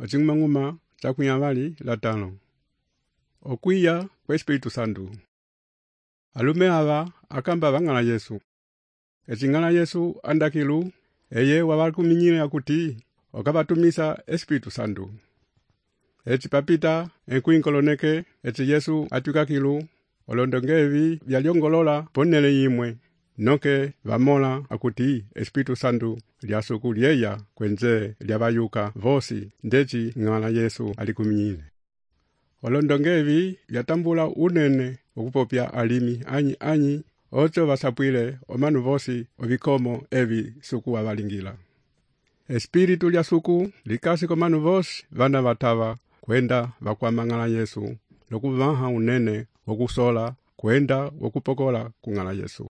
ocing'umang'uma cakunyavali latano. Okwiya kwa Espiritu Santo. Alume ava akamba vang'ala Yesu. Ecing'ala Yesu andakilu eye wabakuminyile akuti okabatumisa Espiritu Santo. Eci papita enkuinkoloneke eci Yesu atwikakilu olondongevi vyalyongolola ponele yimwe. Noke vamola akuti Espiritu Santo lyasuku lyeya kwenze lyabayuka vosi ndeci ng'ala Yesu alikuminyile. Olondongevi vyatambula unene okupopya alimi anyi ocho vasapwile omanu vosi ovikomo evi suku wabalingila. Espiritu lya suku likasi komanu vosi vana vatava kwenda vakwamang'ala Yesu nokuvaha unene wokusola kwenda wokupokola kung'ala Yesu.